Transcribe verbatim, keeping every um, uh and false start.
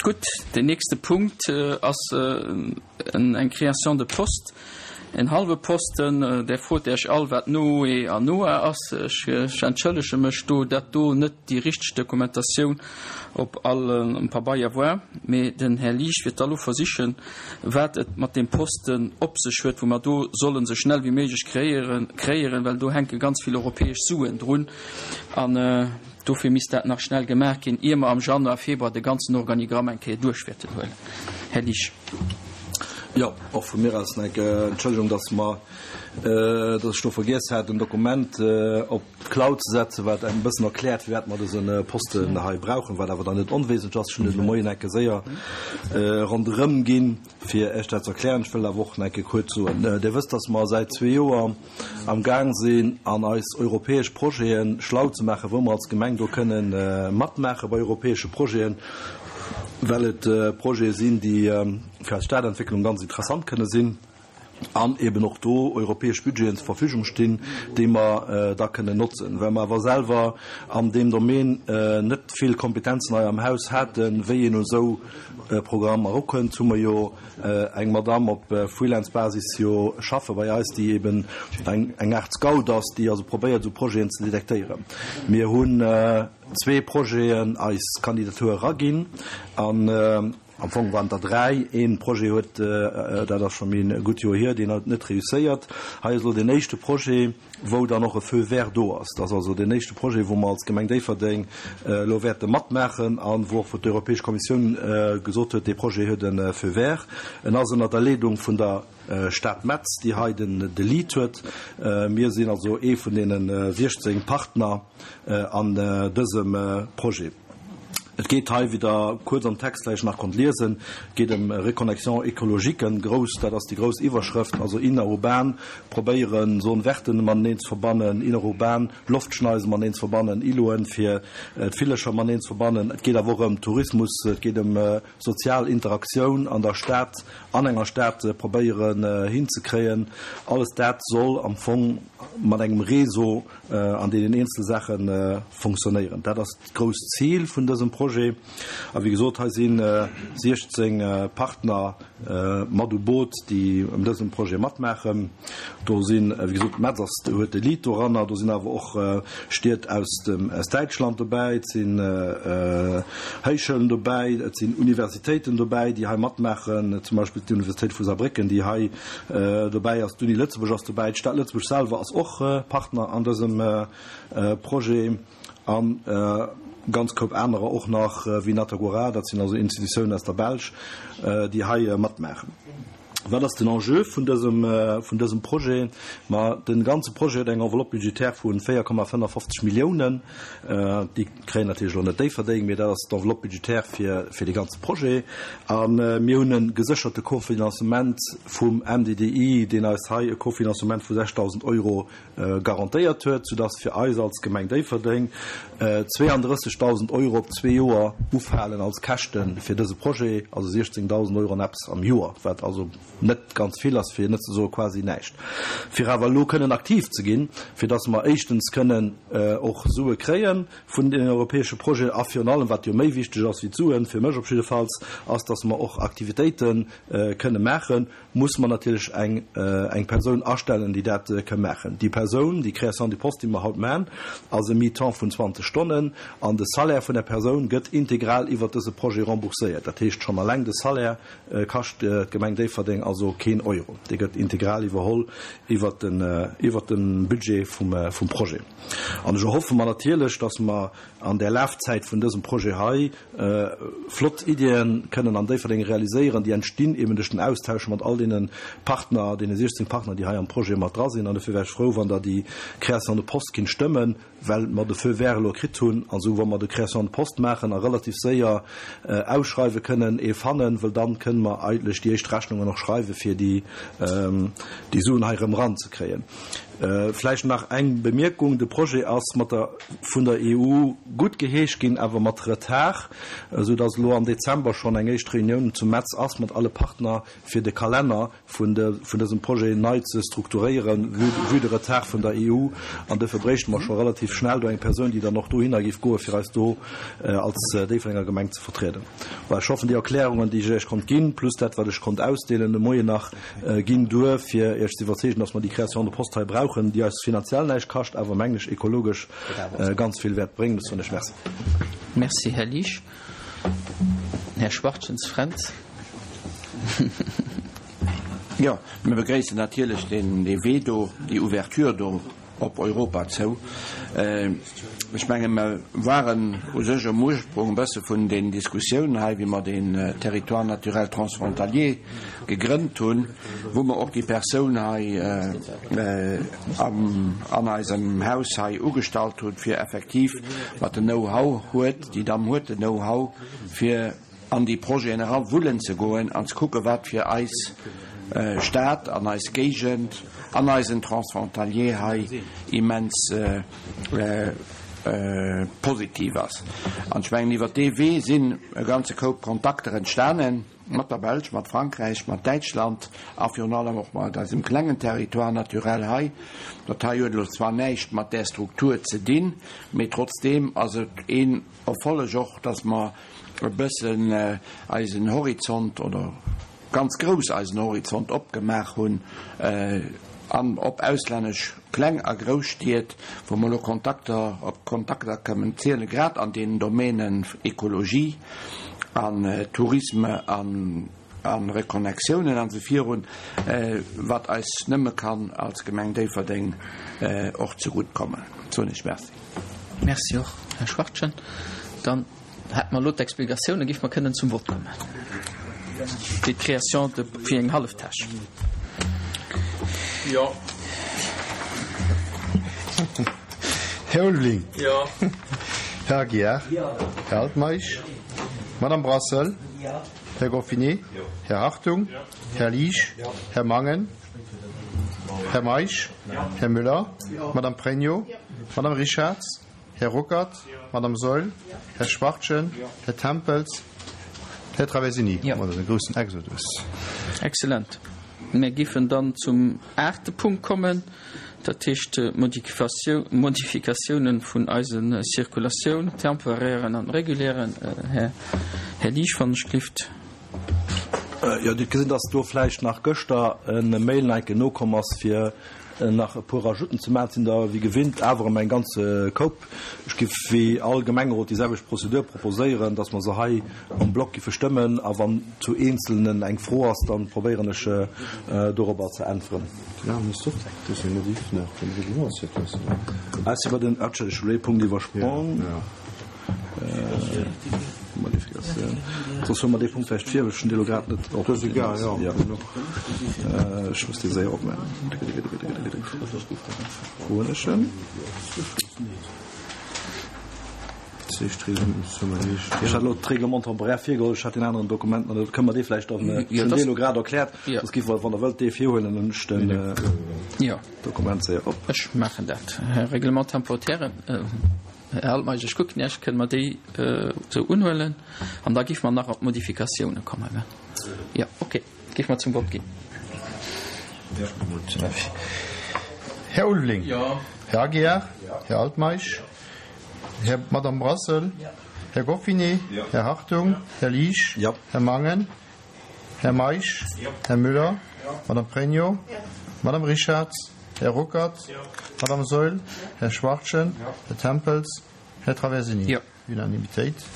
Gutt, den nächste Punkt ass eng Création de poste, en hallwe Posten. Där frot Iech all, wat N O E an N O A ass. Ech entschëllege mech do, dat do net déi richteg Dokumentatioun op allem Pabeier war, mee den Här Liesch wird da lo versichen, wat et mat deem Posten op sech huet, wou mer do sollen sou schnell wéi méiglech kreéieren, kreéieren, well do hänke ganz vill europäesch Suen drun an dofir misst dat nach schnell gemaach ginn, ier mer am Januar, Februar de ganzen Organigramm eng Kéier duerch wäerten huelen. Här Liesch. Jo, och vu mir aus eng Entschëllegung, dass mer, dass ech do vergiess hat, en Dokument op d'Cloud ze setzen, wat engem e bëssen erkläert, firwat mer dëse Posten hei brauchen, wat awer dann net onwesentlech ass. Ech hunn et de Moien enke séier ronderëm ginn, fir Iech dat ze erklären. Ech wëll awer och enke kuerz soen, Dir wësst, dass mer säit zwee Joer am Gaang sinn, an eis europäesch Projete schlau ze maachen, wou mer als Gemeng do kënnen matmaache bei europäesche Projeten, well et Projete sinn, déi fir eis Stadentwécklung ganz interessant kënne sinn an eben och do europäesch Budgeten zur Verfügung stinn, déi mer da kënnen notzen. Well mer awer selwer an deem Domaine net vill Kompetenzen hei am Haus haten, wéi een u sou Programmer erukënnt, hu mer jo eng Madamm op Freelance-Basis jo schaffe bei eis, déi eben eng Aart Scout ass, déi also probéiert, esou Projeten ze detektéieren. Mir hunn zwee Projeten eis Kandidatur eraginn an am Fong waren der dräi. Ee Projet huet, dat ass scho méi e gutt Joer hier, deen huet net reusséiert. Hei ass elo deen éischte Projet, wou dann och e Feu vert do ass. Dat ass also deen éischte Projet, wou mer als Gemeng Déifferdeng elo wäerte matmaachen a wou och d'Europäesch Kommissioun gesot huet, dee Projet huet e Feu vert. En ass ënner der Leedung vun der Stad Metz, déi hei den de Lead huet. Mir sinn also ee vun deene siechzéng Partner an dësem Projet. Et geet hei, wéi Der kuerz am Text vläicht nach konnt liesen, geet ëm Reconnexion écologique, grouss, dat ass déi grouss Iwwerschrëft, also innerurban probéieren, Zone verten mateneen ze verbannen, innerurban Loftschneise mateneen ze verbannen, Îloten fir d'Villercher mateneen ze verbannen. Et geet awer och ëm Tourismus, et geet ëm sozial Interaktioun an der Stad, an enger Stad probéieren hinzekréien. Alles dat soll am Fong mat engem Réseau an deenen eenzele Saache funktionéieren. Dat ass d'grousst Zil vun dësem Projet. A wéi gesot, hei si siechzéng Partner mat u Boot, déi ëm dësem Projet matmaachen. Do sinn, wéi gesot, Metz ass, huet de Lead doranner, do sinn awer och Stied aus dem, aus Däitschland dobäi, et sinn Héichschoulen dobäi, et sinn Universitéiten dobäi, déi hei matmaachen, zum Beispill d'Universitéit vu Saarbrécken, déi hei dobäi ass, d'Uni Lëtzebuerg ass dobäi, d'Stad Lëtzebuerg selwer ass och Partner an dësem Projet an ganz Koup anerer och nach, wéi Natagora, dat sinn also Institutiounen aus der Belsch, déi hei matmaachen. Wat ass den Enjeu vun dësem, vun dësem Projet? Ma de ganze Projet huet eng Enveloppe budgétaire vu véier Komma fënnefofzeg Milliounen. Déi kréien natierlech elo net Déifferdeng, mee dat ass d'Enveloppe budgétaire fir, fir de ganze Projet. A mir hunn e gesécherte Cofinancement vum M D D I, deen eis hei e Cofinancement vu sechsdausend Euro garantéiert huet, soudass fir eis als Gemeng Déifferdeng zweeandrëssegdausend Euro op zwee Joer ufalen als Käschte fir dëse Projet, also siechzéngdausend Euro an eppes am Joer, wat also net ganz vill ass, fir net ze soe quasi näischt. Fir awer elo kënnen aktiv ze ginn, fir dass mer éischtens kënnen och Sue kréie vun den europäesche Projeten a virun allem, wat jo méi wichteg ass wéi d'Suen, fir mech op jiddefalls, ass, dass mer och Aktivitéite kënne maachen, muss mer natierlech eng eng Persoun astellen, déi dat ka maachen. Déi Persoun, déi Création de poste, déi mer haut maachen, ass e Mi-temps vun zwanzeg Stonnen an de Salaire vun der Persoun gëtt integral iwwert dëse Projet rembourséiert. Dat heescht, schonn alleng de Salaire kascht d'Gemeng Déifferdeng also keen Euro. Dee gëtt integral iwwerholl iwwert den iwwert de Budget vum vum Projet. An ech erhoffe mer natierlech, dass mer an der Lafzäit vun dësem Projet hei flott Iddien kënnen an Déifferdeng realiséieren, déi entstinn eben duerch den Austausch mat all deene Partner, deene siechzéng Partner, déi hei am Projet mat dra sinn. An dofir wär ech frou, wann Der déi Création de poste kinnt stëmmen, well mer de Feu vert elo kritt hunn. Also wa mer de Création de poste maachen a relativ séier ausschreiwe kënnen, ee fannen, well dann kënnen mer eigentlech déi éischt Rechnungen och schreiwe fir déi déi Suen hei erëm eranzekréien. Vläicht nach eng Bemierkung, De Projet ass mat der vun der E U guttgeheescht ginn, awer mat Retard, esou dass elo am Dezember schonn eng éischt Reunioun zu Metz ass mat alle Partner, fir de Kalenner vun vun dësem Projet nei ze strukturéieren, vue vue de Retard vun der E U. An duerfir bréichte mer scho relativ schnell do eng Persoun, déi dann och dohinner géif goen, fir eis do als Déifferdenger Gemeng ze vertrieden. Voilà, ech hoffen, déi Erklärungen, déi ech Iech konnt ginn, plus dat, wat ech konnt ausdeelen de Moien nach, ginn duer, fir Iech ze iwwerzeegen, dass mer déi Création de poste hei brauchen, déi eis finanziell näischt kascht, awer, mengen ech, ekologesch ganz vill wäert bréngen. Ech soen Iech Merci. Merci, Här Liesch. Här Schwachtjens Fränz. Jo, mir begréissen natierlech deen Wee do, déi Ouverture do op Europa zou. Ech menge mer waren u sech um Ursprung e bësse vun den Diskussiounen hei, wéi mer den Territoire naturel transfrontalier gegrënnt hunn, wou mer och déi Persoun hei an eisem Haus hei ugestallt hunn, fir effektiv, wat den Know-how huet, déi Damm huet den Know-how, fir an déi Projeten erawullen ze goen an ze kucken, wat fir eis Stad an eis Géigend an eisen Transfrontalier hei immens positiv ass. An ech mengen, iwwert dee Wee sinn e ganze Koup Kontakter entstanen, mat der Belsch, mat Frankräich, mat Däitschland a virun allem och mat eisem klengen Territoire naturel hei. Dat hei huet elo zwar näischt mat där Struktur ze dinn, mee trotzdeem ass et een Erfolleg och, dass mer e bëssen eisen Horizont oder ganz grouss eisen Horizont opgemaach hunn an op auslännesch kleng a grouss Stied, wou mer elo Kontakter op Kontakter kënnen zielen, grad an deenen Domänen Ekologie an Tourisme an a Reconnectiounen an esou virun, wat eis nëmme kann als Gemeng Déifferdeng och zegutt kommen. Soen ech Merci. Merci och, Här Schwachtgen. Dann hätte mer elo d'Explikatioune, géife mer kënnen zum Vott kommen. Fir d'Création de fir eng hallef Täsch. Jo. Här Ulveling. Jo. Här Aguiar. Jo. Här Altmeisch. Jo. Madame Brassel. Jo. Här Goffinet. Jo. Här Hartung. Jo. Här Liesch. Jo. Här Mangen. Här Meisch. Jo. Här Müller. Jo. Madame Pregno. Jo. Madame Richarz. Här Ruckert. Jo. Madame Saeul. Jo. Här Schwachtgen. Jo. Här Tempels. Här Traversini. Jo. Dat ass e groussen Exodus. Excellent. Mir géifen dann zum aachte Punkt kommen, dat heescht d'Modifikatiounen vun eise Circulatioun, temporären an regulären. Här, Här Liesch, wann ech gelift. Jo, Dir hutt gesinn, dass do vläicht nach gëschter e Mail nach eng Kéier nokomm ass, fir nach e puer Ajouten ze maachen. Et sinn der wéi gewinnt awer erëm eng ganz Koup. Ech géif wéi all Gemengerot déi selwecht Prozedur proposéieren, dass mer se hei en bloc giffe stëmmen, a wann zu eenzelnen eng Fro ass, dann probéieren ech dorobber ze äntweren. Ah, ech si bei den, Entschëllegt, ech hunn elo ee Punkt iwwersprong. Modifikatioun. Soss huele mer dee Punkt vläicht vir, well ech hunn dee elo grad net op. Dat ass egal, jo. Jo. Ech muss dee séier opmaachen. Wou hunn ech en? Ech hat elo d'Règlement temporaire virgeholl, ech hat deen aneren Dokument nach net. Kënne mer dee vläicht dann, ech hunn dee elo grad erkläert, soss giff mer, wann Der wëllt, dee virhuelen, dann hunn ech den Dokument séier op. Ech maachen dat. Règlement temporaire. Här Altmeisch, ech kucken Iech, kënne mer déi esou unhuelen? An da géife mer nach op d'Modifikatioune kommen, gell? Jo, okay, géife mer zum Vott ginn. Här Ulveling. Jo. Här Aguiar. Här Altmeisch. Här, Madame Brassel. Här Goffinet. Här Hartung. Här Liesch. Jo. Här Mangen. Här Meisch. Här Müller. Madame Pregno. Madame Richarz. Här Ruckert. Madame Saeul. Här Schwachtgen. Här Tempels. Här Traversini. Jo. Unanimitéit.